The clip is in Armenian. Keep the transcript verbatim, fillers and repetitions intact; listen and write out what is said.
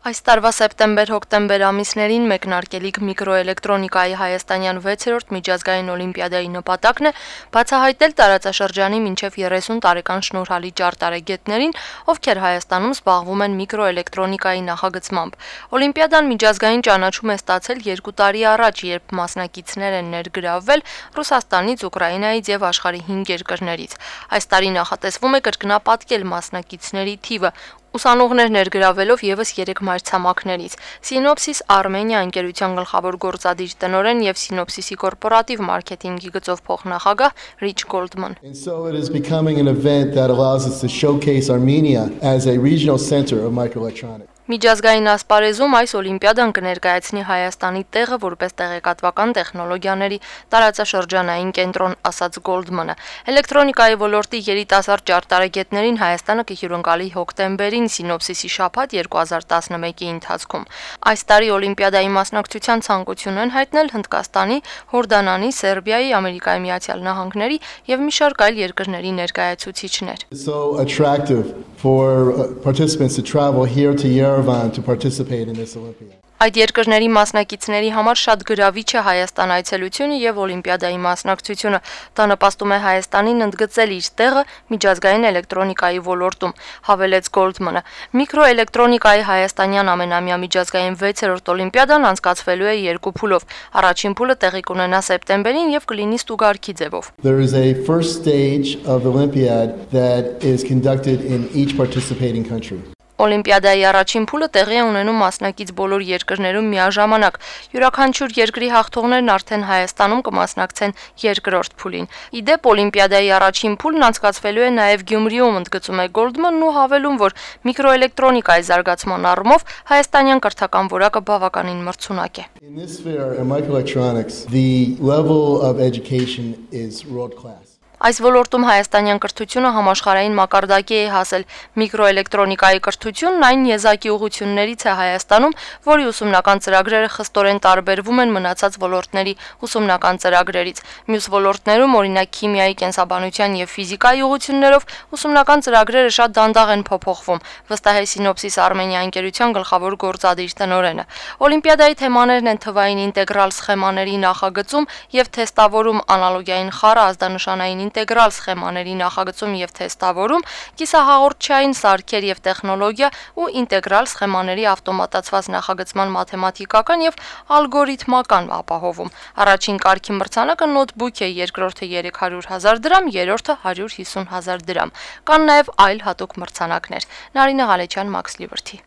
Այս տարվա սեպտեմբեր-հոկտեմբեր ամիսներին մեկնարկելիք միկրոէլեկտրոնիկայի հայաստանյան վեցերորդ միջազգային օլիմպիադայի նպատակն է բացահայտել տարածաշրջանի մինչև երեսուն տարեկան շնորհալի ճարտարագետներին, ովքեր Հայաստանում զբաղվում են միկրոէլեկտրոնիկայի նախագծմամբ։ Օլիմպիադան միջազգային ճանաչում է ստացել երկու տարի առաջ, երբ մասնակիցներ են ներգրավվել Ռուսաստանից, Ուկրաինայից եւ աշխարհի հինգ երկրներից։ Այս տարի նախատեսվում է կրկնապատկել մասնակիցների թիվը։ Ուսանողներ ներգրավելով եւս երեք մայրցամաքներից։ Սինոպսիս Armenia ընկերության գլխավոր գործադիր տնօրեն եւ Սինոպսիսի կորպորատիվ մարքեթինգի գծով փոխնախագահ Rich Goldman. And so it is becoming an event that allows us to showcase Armenia as a regional center of microelectronics. Միջազգային ասպարեզում այս օլիմպիադան կներկայացնի Հայաստանի տեղը որպես տեղեկատվական տեխնոլոգիաների տարածաշրջանային կենտրոն, ասաց Գոլդմանը։ Էլեկտրոնիկայի ոլորտի երիտասարդ ճարտարագետներին Հայաստանը կհյուրընկալի հոկտեմբերին Սինոպսիսի շաբաթ երկու հազար տասնմեկի ընթացքում։ Այս տարի օլիմպիադայի մասնակցության ցանկություն են հայտնել Հնդկաստանի, Հորդանանի, Սերբիայի, Ամերիկայի Միացյալ Նահանգների եւ մի շարք այլ երկրների ներկայացուցիչներ։ So attractive for participants to travel here to Yerevan to participate in this Olympiad. Այդ երկրների մասնակիցների համար շատ գրավիչ է Հայաստան այցելությունը եւ օլիմպիադայի մասնակցությունը։ Դա նպաստում է Հայաստանին ընդգծել իր տեղը միջազգային էլեկտրոնիկայի ոլորտում, հավելեց Գոլդմանը։ Միկրոէլեկտրոնիկայի հայաստանյան ամենամյա միջազգային վեցերորդ օլիմպիադան անցկացվելու է երկու փուլով։ Առաջին փուլը տեղի կունենա սեպտեմբերին եւ կլինի ստուգարքի ձևով։ There is a first stage of the Olympiad that is conducted in each participating country. Օլիմպիադայի առաջին փուլը տեղի է ունենում մասնակից բոլոր երկրներում միաժամանակ։ Յուրաքանչյուր երկրի հաղթողներն արդեն Հայաստանում կմասնակցեն երկրորդ փուլին։ Իդեպ օլիմպիադայի առաջին փուլն անցկացվելու է նաև Գյումրիում, ընդգծում է Գոլդմանն ու հավելում, որ միկրոէլեկտրոնիկայի զարգացման առումով հայաստանյան կրթական որակը բավականին մրցունակ է։ In this sphere in microelectronics, the level of education is world class. Այս ոլորտում հայաստանյան կրթությունը համաշխարհային մակարդակի է հասել։ Միկրոէլեկտրոնիկայի կրթությունն այն եզակի ուղղություններից է Հայաստանում, որի ուսումնական ծրագրերը խստորեն տարբերվում են մնացած ոլորտների ուսումնական ծրագրերից։ Մյուս ոլորտներում, օրինակ քիմիայի, կենսաբանության եւ ֆիզիկայի ուղղություններով, ուսումնական ծրագրերը շատ դանդաղ են փոփոխվում, վստահ է Սինոպսիս Armenia ընկերության գլխավոր գործադիր տնօրենը։ Օլիմպիադայի թեմաներն են թվային ինտեգրալ սխեմաների նախագծում եւ թեստավորում, անալոգային խառը, ազդանշանային ինտեգրալ սխեմաների նախագծում եւ թեստավորում, կիսահաղորդչային սարքեր եւ տեխնոլոգիա ու ինտեգրալ սխեմաների ավտոմատացված նախագծման մաթեմատիկական եւ ալգորիթմական ապահովում։ Առաջին կարգի մրցանակը նոթբուք է, երկրորդը երեք հարյուր հազար դրամ, երրորդը հարյուր հիսուն հազար դրամ։ Կան նաեւ այլ հատուկ մրցանակներ։ Նարինե Ղալեչյան, Max Liberty։